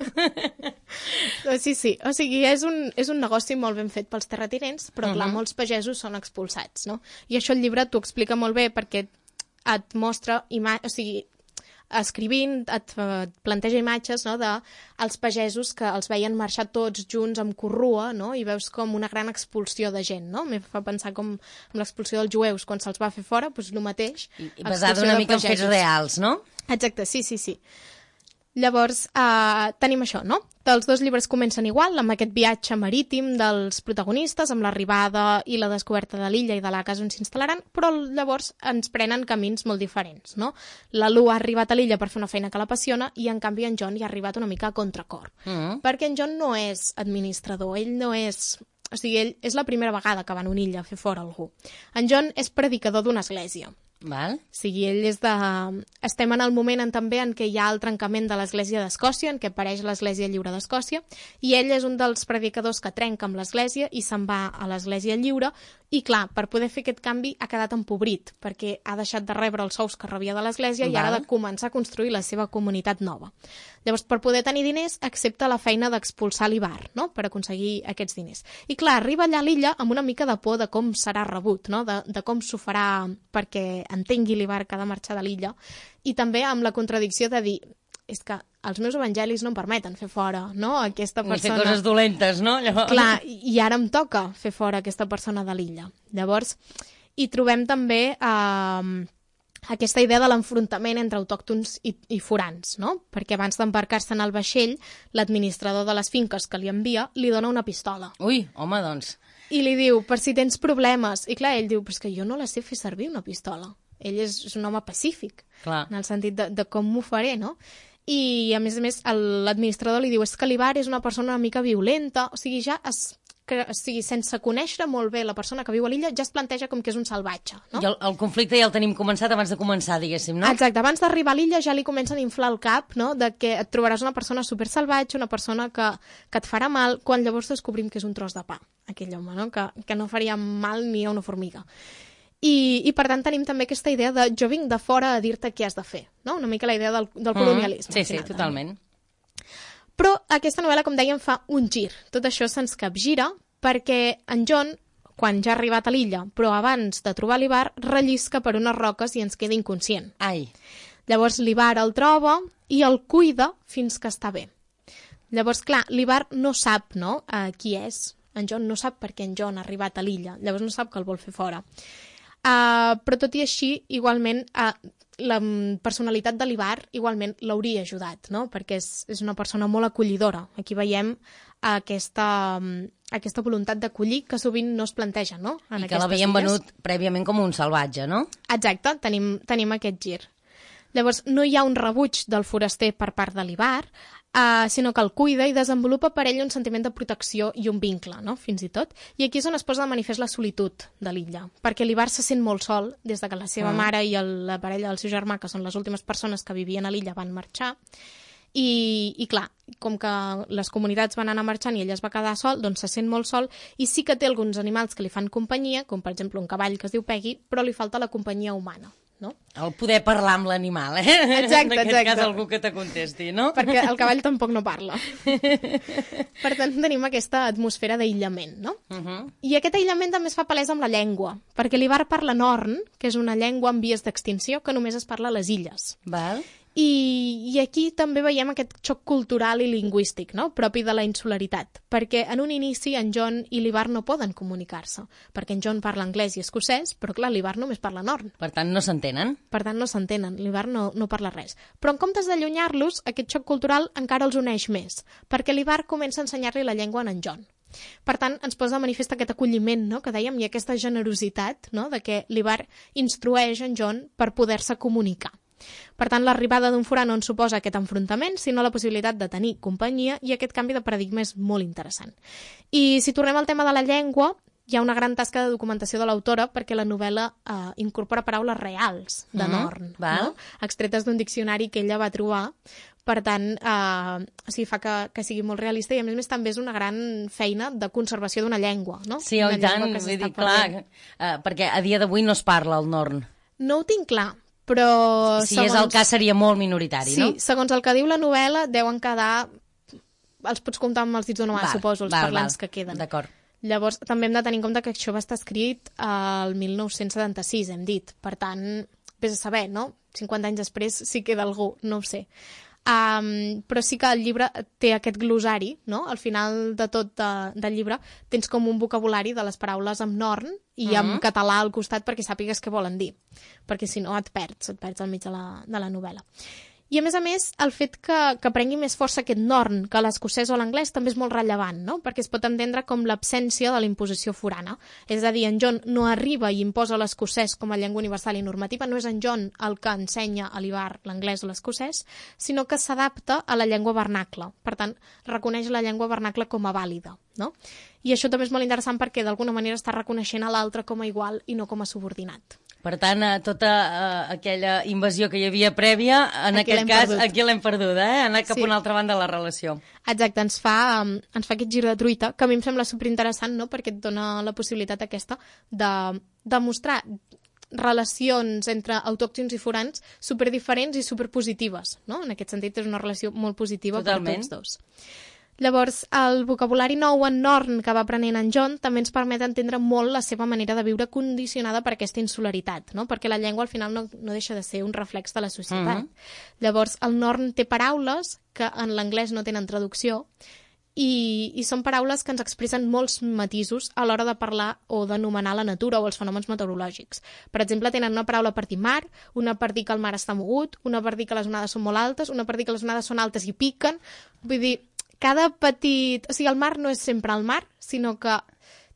C: Sí, sí, o sigui, és un, és un negoci molt ben fet pels terratinents, però clar, uh -huh. molts pagesos són expulsats, no? I això el llibre t'ho explica molt bé perquè et mostra, o sigui, escrivint, et, et planteja imatges, no?, dels pagesos que els veien marxar tots junts amb corrua, no?, i veus com una gran expulsió de gent, no? Em fa pensar com amb l'expulsió dels jueus, quan se'ls va fer fora, doncs el mateix.
B: I, i basada una mica en fets reals, no?
C: Exacte, sí, sí, sí. Llavors, eh, tenim això, no? Els dos llibres comencen igual, amb aquest viatge marítim dels protagonistes, amb l'arribada i la descoberta de l'illa i de la casa on s'instal·laran, però llavors ens prenen camins molt diferents, no? La Lu ha arribat a l'illa per fer una feina que l'apassiona i, en canvi, en John hi ha arribat una mica a contracor. Mm. Perquè en John no és administrador, ell no és... O sigui, ell és la primera vegada que va a una illa a fer fora algú. En John és predicador d'una església.
B: Val.
C: O sigui, ell és de... Estem en el moment en, també en què hi ha el trencament de l'Església d'Escòcia, en què apareix l'Església Lliure d'Escòcia, i ell és un dels predicadors que trenca amb l'Església i se'n va a l'Església Lliure, i clar, per poder fer aquest canvi ha quedat empobrit, perquè ha deixat de rebre els sous que rebia de l'Església i ara ha de començar a construir la seva comunitat nova. Llavors, per poder tenir diners, accepta la feina d'expulsar l'Ivar, no?, per aconseguir aquests diners. I clar, arriba allà a l'illa amb una mica de por de com serà rebut, no?, de, de com s'ho farà perquè entengui l'Ivar que ha de marxar de l'illa, i també amb la contradicció de dir és que els meus evangelis no em permeten fer fora, no?, aquesta persona...
B: Ni fer coses dolentes, no? Llavors...
C: Clar, i ara em toca fer fora aquesta persona de l'illa. Llavors, hi trobem també eh, aquesta idea de l'enfrontament entre autòctons i, i forans, no? Perquè abans d'embarcar-se en el vaixell, l'administrador de les finques que li envia li dona una pistola.
B: Ui, home, doncs...
C: I li diu, per si tens problemes. I clar, ell diu, però és que jo no la sé fer servir, una pistola. Ell és, és un home pacífic,
B: clar,
C: en el sentit de, de com m'ho faré, no? I, a més a més, l'administrador li diu, és que l'Ivar és una persona una mica violenta, o sigui, ja es... Que, o sigui, sense conèixer molt bé la persona que viu a l'illa, ja es planteja com que és un salvatge, no?
B: I el, el conflicte ja el tenim començat abans de començar, diguéssim, no?
C: Exacte, abans d'arribar a l'illa ja li comencen a inflar el cap, no?, de que et trobaràs una persona super salvatge, una persona que, que et farà mal, quan llavors descobrim que és un tros de pa, aquell home, no?, que, que no faria mal ni a una formiga. I, i per tant tenim també aquesta idea de jo vinc de fora a dir-te què has de fer, no?, una mica la idea del, del colonialisme.
B: Mm, sí, sí, totalment.
C: També. Però aquesta novel·la, com dèiem, fa un gir. Tot això se'ns capgira perquè en John, quan ja ha arribat a l'illa, però abans de trobar l'Ivar, rellisca per unes roques i ens queda inconscient.
B: Ai.
C: Llavors l'Ivar el troba i el cuida fins que està bé. Llavors, clar, l'Ivar no sap, no?, uh, qui és. En John no sap per què en John ha arribat a l'illa. Llavors no sap que el vol fer fora. Uh, però tot i així, igualment, uh, la personalitat de l'Ivar igualment l'hauria ajudat, no?, perquè és, és una persona molt acollidora. Aquí veiem aquesta, aquesta voluntat d'acollir que sovint no es planteja, no?, en
B: I que l'havien venut prèviament com un salvatge, no?
C: Exacte, tenim, tenim aquest gir. Llavors, no hi ha un rebuig del foraster per part de l'Ivar, Uh, sinó que el cuida i desenvolupa per ell un sentiment de protecció i un vincle, no?, fins i tot. I aquí és on es posa de manifest la solitud de l'illa, perquè l'Ivar se sent molt sol des de que la seva mm. mare i el, la parella del seu germà, que són les últimes persones que vivien a l'illa, van marxar. I, i clar, com que les comunitats van anar marxant i ell es va quedar sol, doncs se sent molt sol i sí que té alguns animals que li fan companyia, com per exemple un cavall que es diu Peggy, però li falta la companyia humana. No?
B: El poder parlar amb l'animal, eh?
C: Exacte,
B: en aquest
C: exacte.
B: cas algú que te contesti, no?
C: Perquè el cavall tampoc no parla. Per tant, tenim aquesta atmosfera d'aïllament, no? Uh -huh. I aquest aïllament també es fa palès amb la llengua, perquè l'Ivar parla Norn, que és una llengua en vies d'extinció que només es parla a les illes.
B: Val.
C: I, I aquí també veiem aquest xoc cultural i lingüístic, no?, propi de la insularitat, perquè en un inici en John i l'Ivar no poden comunicar-se, perquè en John parla anglès i escocès, però clar, l'Ivar només parla norn.
B: Per tant, no s'entenen.
C: Per tant, no s'entenen, l'Ivar no, no parla res. Però en comptes d'allunyar-los, aquest xoc cultural encara els uneix més, perquè l'Ivar comença a ensenyar-li la llengua a en John. Per tant, ens posa de manifest aquest acolliment, no?, que dèiem, i aquesta generositat, no?, de que l'Ivar instrueix en John per poder-se comunicar. Per tant, l'arribada d'un forà no ens suposa aquest enfrontament, sinó la possibilitat de tenir companyia, i aquest canvi de paradigma és molt interessant. I si tornem al tema de la llengua, hi ha una gran tasca de documentació de l'autora perquè la novel·la eh, incorpora paraules reals de Norn,
B: mm, no?
C: extretes d'un diccionari que ella va trobar. Per tant, eh, o sigui, fa que, que sigui molt realista, i a més a més també és una gran feina de conservació d'una llengua, no?
B: Sí, oi tant, vull dir, clar, eh, perquè a dia d'avui no es parla el Norn.
C: No ho tinc clar, però...
B: Si segons... és el cas seria molt minoritari,
C: sí,
B: no?
C: Sí, segons el que diu la novel·la, deuen quedar... Els pots comptar amb els dits d'una mà, suposo, els val, parlants val. que queden.
B: D'acord.
C: Llavors, també hem de tenir en compte que això va estar escrit al mil nou-cents setanta-sis, hem dit. Per tant, vés a saber, no? cinquanta anys després sí queda algú, no ho sé. Um, però sí que el llibre té aquest glosari, no? Al final de tot de, del llibre tens com un vocabulari de les paraules amb norn i uh-huh. amb català al costat perquè sàpigues què volen dir, perquè si no et perds, et perds al mig de la, de la novel·la. I a més a més, el fet que, que prengui més força aquest norn que l'escocès o l'anglès també és molt rellevant, no? Perquè es pot entendre com l'absència de la imposició forana. És a dir, en John no arriba i imposa l'escocès com a llengua universal i normativa, no és en John el que ensenya a l'Ivar l'anglès o l'escocès, sinó que s'adapta a la llengua vernacle. Per tant, reconeix la llengua vernacle com a vàlida, no? I això també és molt interessant perquè d'alguna manera està reconeixent a l'altre com a igual i no com a subordinat.
B: Per tant, tota uh, aquella invasió que hi havia prèvia, en aquí aquest cas, perdut. aquí l'hem perduda, eh? Ha anat cap sí. a una altra banda de la relació.
C: Exacte, ens fa, um, ens fa aquest gir de truita, que a mi em sembla superinteressant, no?, perquè et dona la possibilitat aquesta de demostrar relacions entre autòctons i forans superdiferents i superpositives, no? En aquest sentit és una relació molt positiva Totalment. per tots dos. Llavors, el vocabulari nou en Norn que va aprenent en John també ens permet entendre molt la seva manera de viure condicionada per aquesta insularitat, no? Perquè la llengua al final no, no deixa de ser un reflex de la societat. Mm-hmm. Llavors, el Norn té paraules que en l'anglès no tenen traducció i, i són paraules que ens expressen molts matisos a l'hora de parlar o d'anomenar la natura o els fenòmens meteorològics. Per exemple, tenen una paraula per dir mar, una per dir que el mar està mogut, una per dir que les onades són molt altes, una per dir que les onades són altes i piquen. Vull dir, cada petit... O sigui, el mar no és sempre el mar, sinó que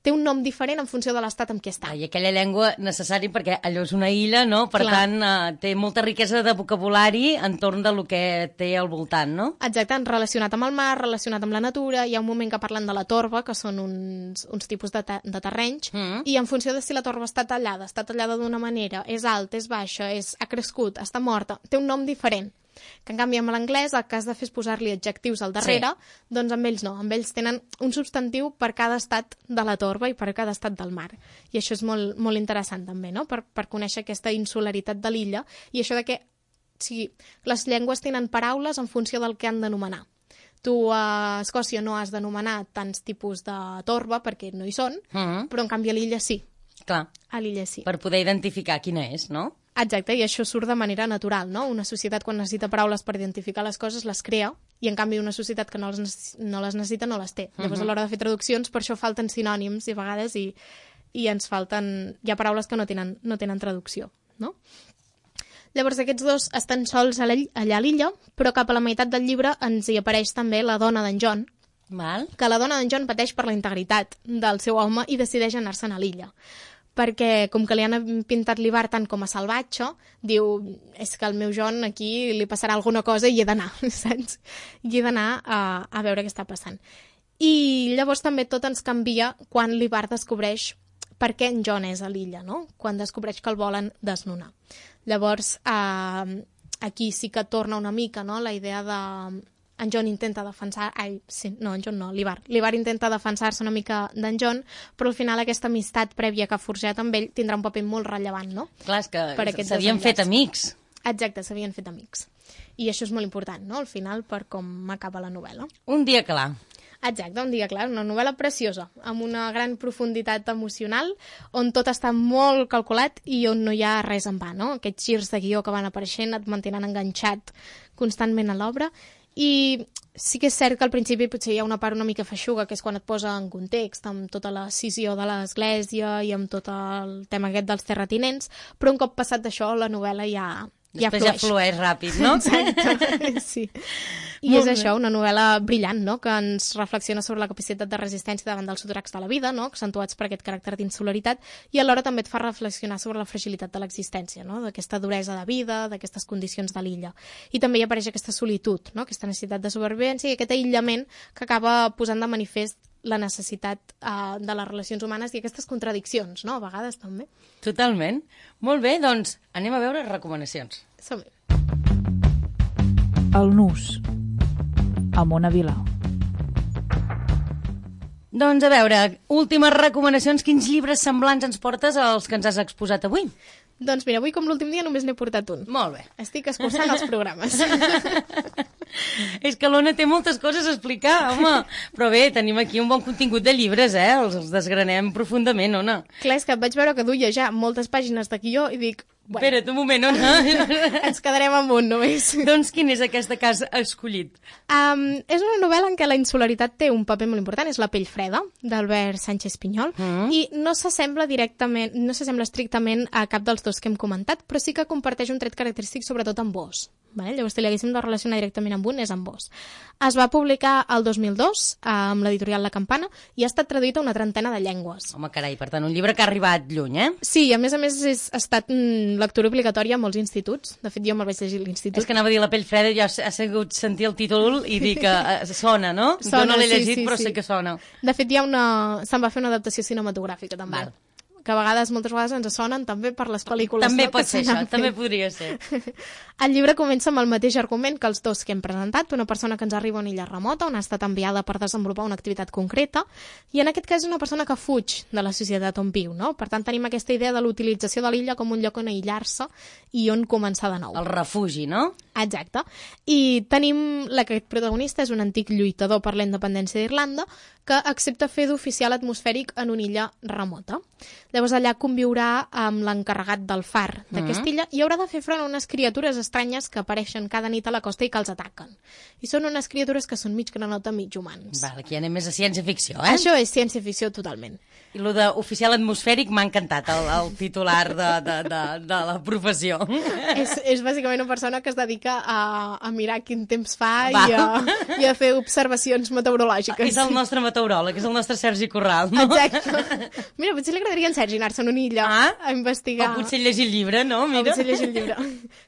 C: té un nom diferent en funció de l'estat en què està.
B: I aquella llengua necessària perquè allò és una illa, no? Per Clar. tant, eh, té molta riquesa de vocabulari entorn de lo que té al voltant, no?
C: Exacte, relacionat amb el mar, relacionat amb la natura. Hi ha un moment que parlen de la torba, que són uns, uns tipus de, te de terrenys, mm. i en funció de si la torba està tallada, està tallada d'una manera, és alta, és baixa, és, ha crescut, està morta, té un nom diferent. Que en canvi amb l'anglès el que has de fer és posar-li adjectius al darrere, sí. doncs amb ells no, amb ells tenen un substantiu per cada estat de la torba i per cada estat del mar. I això és molt, molt interessant també, no? Per, per conèixer aquesta insularitat de l'illa i això de que o sigui, les llengües tenen paraules en funció del que han d'anomenar. Tu a Escòcia no has d'anomenar tants tipus de torba perquè no hi són, mm-hmm. però en canvi a l'illa sí.
B: Clar.
C: A l'illa sí.
B: Per poder identificar quina és, no?
C: Exacte, i això surt de manera natural, no? Una societat quan necessita paraules per identificar les coses les crea i en canvi una societat que no les, no les necessita no les té. Uh-huh. Llavors a l'hora de fer traduccions per això falten sinònims i a vegades i, i ens falten... Hi ha paraules que no tenen, no tenen traducció, no? Llavors aquests dos estan sols allà a l'illa, però cap a la meitat del llibre ens hi apareix també la dona d'en John,
B: Val.
C: que la dona d'en John pateix per la integritat del seu home i decideix anar-se'n a l'illa. Perquè com que li han pintat l'Ivar tant com a salvatge, diu, és que al meu John aquí li passarà alguna cosa i hi he d'anar, saps? I he d'anar a, a veure què està passant. I llavors també tot ens canvia quan l'Ivar descobreix per què en John és a l'illa, no? Quan descobreix que el volen desnonar. Llavors, eh, aquí sí que torna una mica, no?, la idea de... En John intenta defensar... Ai, sí, no, en John no, l'Ivar. L'Ivar intenta defensar-se una mica d'en John, però al final aquesta amistat prèvia que ha forjat amb ell tindrà un paper molt rellevant, no?
B: Clar, és que s'havien fet amics.
C: Exacte, s'havien fet amics. I això és molt important, no?, al final, per com acaba la novel·la.
B: Un dia clar.
C: Exacte, un dia clar, una novel·la preciosa, amb una gran profunditat emocional, on tot està molt calculat i on no hi ha res en va, no? Aquests girs de guió que van apareixent et mantenen enganxat constantment a l'obra, i sí que és cert que al principi potser hi ha una part una mica feixuga, que és quan et posa en context, amb tota la escissió de l'església i amb tot el tema aquest dels terratinents, però un cop passat d'això la novel·la ja...
B: Després
C: ja
B: flueix. ja flueix ràpid, no?
C: Exacte, sí. I és això, una novel·la brillant, no?, que ens reflexiona sobre la capacitat de resistència davant dels sotracs de la vida, no?, accentuats per aquest caràcter d'insolaritat, i alhora també et fa reflexionar sobre la fragilitat de l'existència, no?, d'aquesta duresa de vida, d'aquestes condicions de l'illa. I també hi apareix aquesta solitud, no?, aquesta necessitat de supervivència i aquest aïllament que acaba posant de manifest la necessitat uh, de les relacions humanes i aquestes contradiccions, no?, a vegades també.
B: Totalment. Molt bé, doncs anem a veure recomanacions.
C: Som-hi.
A: El Nus, a Mona Vila.
B: Doncs a veure, últimes recomanacions, quins llibres semblants ens portes als que ens has exposat avui?
C: Doncs mira, avui com l'últim dia només n'he portat un.
B: Molt bé.
C: Estic escurçant els programes.
B: És que l'Ona té moltes coses a explicar, home. Però bé, tenim aquí un bon contingut de llibres, eh? Els, els desgranem profundament, Ona.
C: Clar, és que vaig veure que duia ja moltes pàgines de guió i dic...
B: Bueno, espera't un moment, Ona.
C: Ens quedarem amb un, només.
B: Doncs quin és aquesta que has escollit?
C: Um, és una novel·la en què la insularitat té un paper molt important, és La pell freda, d'Albert Sánchez Pinyol, mm. i no s'assembla directament, no s'assembla estrictament a cap dels dos que hem comentat, però sí que comparteix un tret característic sobretot amb vos. Vale? Llavors, si l'haguéssim de relacionar directament amb un, és amb vos. Es va publicar el dos mil dos amb l'editorial La Campana i ha estat traduït a una trentena de llengües.
B: Home, carai, per tant, un llibre que ha arribat lluny, eh?
C: Sí, a més a més és, ha estat mm, lectura obligatòria a molts instituts. De fet, jo me'l vaig llegir a l'institut.
B: És que anava a dir La pell freda, ja ha sigut sentir el títol i dir que eh, sona, no?
C: Sona,
B: jo no l'he
C: sí,
B: llegit,
C: sí,
B: però
C: sí.
B: sé que sona.
C: De fet, hi ha una... se'n va fer una adaptació cinematogràfica, també.
B: Val.
C: Que a vegades, moltes vegades, ens sonen també per les pel·lícules.
B: També
C: no?
B: pot ser això, també podria ser.
C: El llibre comença amb el mateix argument que els dos que hem presentat, una persona que ens arriba a una illa remota on ha estat enviada per desenvolupar una activitat concreta, i en aquest cas és una persona que fuig de la societat on viu, no? Per tant, tenim aquesta idea de l'utilització de l'illa com un lloc on aïllar-se i on començar de nou.
B: El refugi, no?
C: Exacte. I tenim aquest protagonista, és un antic lluitador per la independència d'Irlanda, que accepta fer d'oficial atmosfèric en una illa remota. Llavors allà conviurà amb l'encarregat del far d'aquesta mm. illa i haurà de fer front a unes criatures estranyes que apareixen cada nit a la costa i que els ataquen. I són unes criatures que són mig granota, mig humans.
B: Val, aquí anem més a ciència-ficció, eh?
C: Això és ciència-ficció totalment.
B: I el d'oficial atmosfèric m'ha encantat, el, el titular de, de, de, de la professió.
C: És, és bàsicament una persona que es dedica a, a mirar quin temps fa i a, i a fer observacions meteorològiques.
B: És el nostre meteoròleg, és el nostre Sergi Corral, no?
C: Exacte. Mira, potser li agradaria en Sergi anar-se en una illa ah? a investigar.
B: O potser llegir el llibre, no? Mira.
C: O potser llegir el llibre.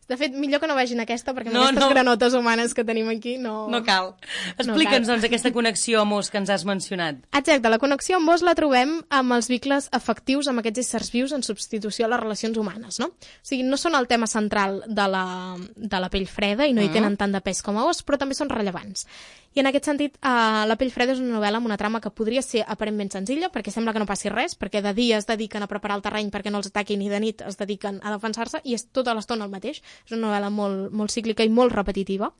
C: De fet, millor que no vagin a aquesta, perquè no, aquestes no. granotes humanes que tenim aquí no...
B: No cal. Explica'ns, no cal. doncs, aquesta connexió amb os que ens has mencionat.
C: Exacte, la connexió amb os la trobem amb els vincles afectius amb aquests éssers vius en substitució a les relacions humanes, no? O sigui, no són el tema central de la, de la pell freda i no hi tenen tant de pes com a os, però també són rellevants. I en aquest sentit, uh, La pell freda és una novel·la amb una trama que podria ser aparentment senzilla, perquè sembla que no passi res, perquè de dia es dediquen a preparar el terreny perquè no els ataquin i de nit es dediquen a defensar-se i és tota l'estona el mateix. És una novel·la molt, molt cíclica i molt repetitiva.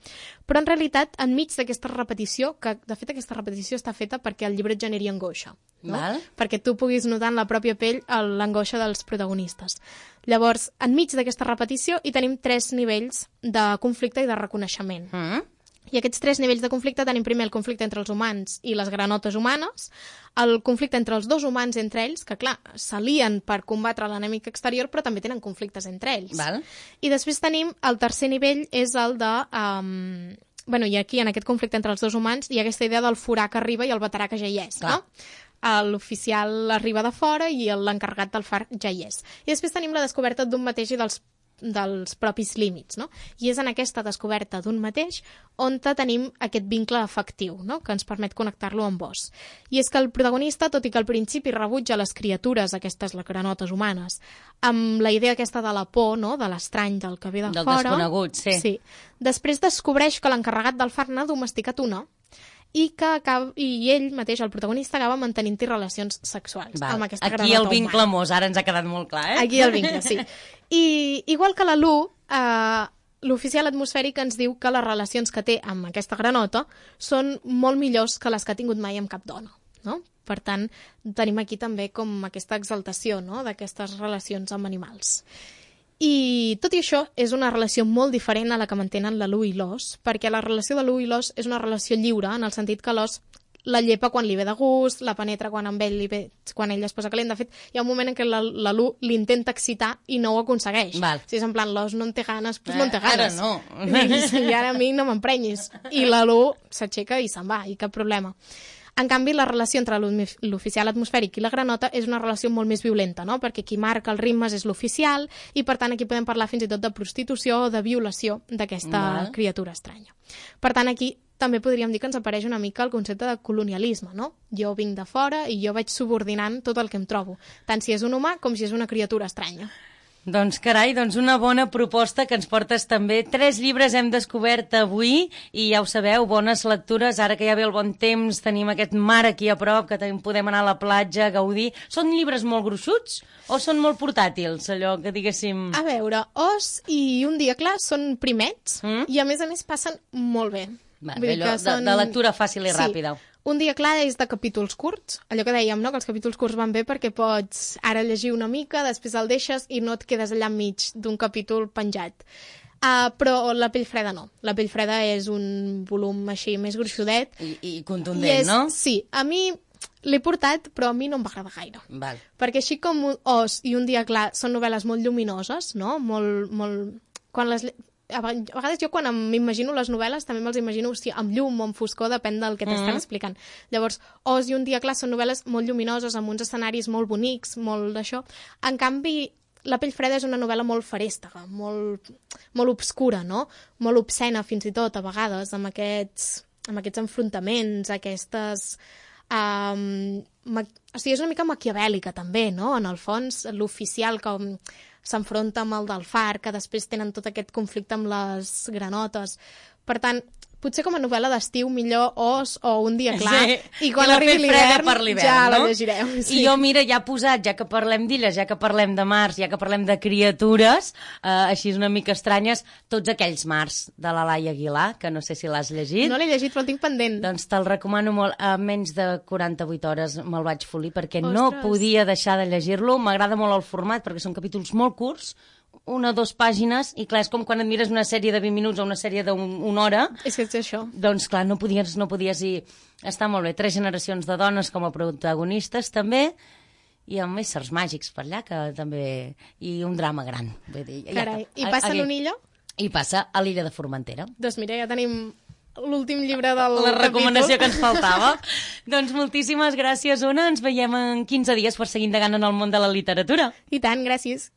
C: Però en realitat, enmig d'aquesta repetició, que de fet aquesta repetició està feta perquè el llibre generi angoixa, no?
B: Val.
C: Perquè tu puguis notar en la pròpia pell l'angoixa dels protagonistes. Llavors, enmig d'aquesta repetició hi tenim tres nivells de conflicte i de reconeixement. Mm. I aquests tres nivells de conflicte tenim primer el conflicte entre els humans i les granotes humanes, el conflicte entre els dos humans entre ells, que clar, s'alien per combatre l'enemic exterior, però també tenen conflictes entre ells.
B: Val.
C: I després tenim el tercer nivell, és el de... Um, bueno, i aquí, en aquest conflicte entre els dos humans, hi ha aquesta idea del forà que arriba i el veterà que ja hi és, clar. No? L'oficial arriba de fora i l'encarregat del far ja hi és. I després tenim la descoberta d'un mateix i dels dels propis límits, no? I és en aquesta descoberta d'un mateix on tenim aquest vincle afectiu, no? Que ens permet connectar-lo amb vos. I és que el protagonista, tot i que al principi rebutja les criatures, aquestes les granotes humanes, amb la idea aquesta de la por, no? De l'estrany, del que ve de
B: del
C: fora...
B: Del desconegut, sí.
C: Sí. Després descobreix que l'encarregat del far n'ha domesticat una i que acaba, i ell mateix, el protagonista, acaba mantenint-hi relacions sexuals
B: Val.
C: amb aquesta
B: Aquí
C: granota
B: el vincle
C: humana.
B: amós, ara ens ha quedat molt clar, eh?
C: Aquí el vincle, sí. I igual que la Lu, eh, l'oficial atmosfèric ens diu que les relacions que té amb aquesta granota són molt millors que les que ha tingut mai amb cap dona, no? Per tant, tenim aquí també com aquesta exaltació, no?, d'aquestes relacions amb animals. I tot i això, és una relació molt diferent a la que mantenen la Lu i l'os, perquè la relació de Lu i l'os és una relació lliure, en el sentit que l'os la llepa quan li ve de gust, la penetra quan amb ell li ve, quan ell es posa calent. De fet, hi ha un moment en què la, la Lu l'intenta excitar i no ho aconsegueix.
B: Val.
C: Si és en plan, l'os no en té ganes, doncs no en té
B: Eh, ara
C: ganes.
B: no.
C: I, I ara a mi no m'emprenyis. I la Lu s'aixeca i se'n va, i cap problema. En canvi, la relació entre l'oficial atmosfèric i la granota és una relació molt més violenta, no? Perquè qui marca els ritmes és l'oficial i, per tant, aquí podem parlar fins i tot de prostitució o de violació d'aquesta
B: Val.
C: criatura estranya. Per tant, aquí també podríem dir que ens apareix una mica el concepte de colonialisme, no? Jo vinc de fora i jo vaig subordinant tot el que em trobo, tant si és un humà com si és una criatura estranya.
B: Doncs carai, doncs una bona proposta que ens portes també. Tres llibres hem descobert avui i ja ho sabeu, bones lectures. Ara que ja ve el bon temps, tenim aquest mar aquí a prop, que també podem anar a la platja a gaudir. Són llibres molt gruixuts o són molt portàtils, allò que diguéssim...
C: A veure, Os i Un dia clar són primets
B: Mm?
C: i a més a més passen molt bé.
B: Va,
C: Vull dir
B: allò
C: que
B: de, de lectura fàcil i
C: Sí.
B: ràpida.
C: Un dia clar és de capítols curts, allò que dèiem, no? Que els capítols curts van bé perquè pots ara llegir una mica, després el deixes i no et quedes allà enmig d'un capítol penjat. Uh, però La pell freda no. La pell freda és un volum així més gruixudet.
B: I, i contundent,
C: I és,
B: no?
C: Sí, a mi l'he portat, però a mi no em va agradar gaire.
B: Val.
C: Perquè així com Os i Un dia clar són novel·les molt lluminoses, no? Molt, molt... Quan les... lle- A vegades jo quan m'imagino les novel·les també me'ls imagino o sigui, amb llum o amb foscor, depèn del que t'estan
B: Mhm.
C: explicant. Llavors, Os i Un dia clar són novel·les molt lluminoses, amb uns escenaris molt bonics, molt d'això. En canvi, La pell freda és una novel·la molt farèstega, molt, molt obscura, no? Molt obscena fins i tot, a vegades, amb aquests, amb aquests enfrontaments, aquestes... Um, ma... O sigui, és una mica maquiavèlica també, no? En el fons, l'oficial com s'enfronta amb el del far, que després tenen tot aquest conflicte amb les granotes. Per tant, potser com a novel·la d'estiu millor Os o Un dia clar,
B: Sí.
C: i quan
B: I La
C: arribi
B: pell freda
C: l'hivern
B: per l'hivern,
C: ja la
B: no?
C: llegirem. Sí.
B: I jo, mira, ja posat, ja que parlem d'illes, ja que parlem de mars, ja que parlem de criatures, eh, així una mica estranyes, tots aquells mars de la Laia Aguilar, que no sé si l'has llegit.
C: No l'he llegit, però el tinc pendent.
B: Doncs te'l recomano molt. A menys de quaranta-vuit hores me'l vaig folir perquè no
C: Ostres.
B: podia deixar de llegir-lo. M'agrada molt el format perquè són capítols molt curts, una o dues pàgines, i clar, és com quan et mires una sèrie de vint minuts o una sèrie d'una hora,
C: És que és això.
B: doncs clar, no podies, no podies i està molt bé. Tres generacions de dones com a protagonistes també, i amb éssers màgics per allà, que també... i un drama gran. Vull dir, ja
C: Carai,
B: està.
C: i passa
B: Aquí.
C: en una illa?
B: I passa a l'illa de Formentera.
C: Doncs mira, ja tenim l'últim llibre del
B: La recomanació que
C: capítol.
B: ens faltava. Doncs moltíssimes gràcies, Ona. Ens veiem en quinze dies per seguir indagant en el món de la literatura.
C: I tant, gràcies.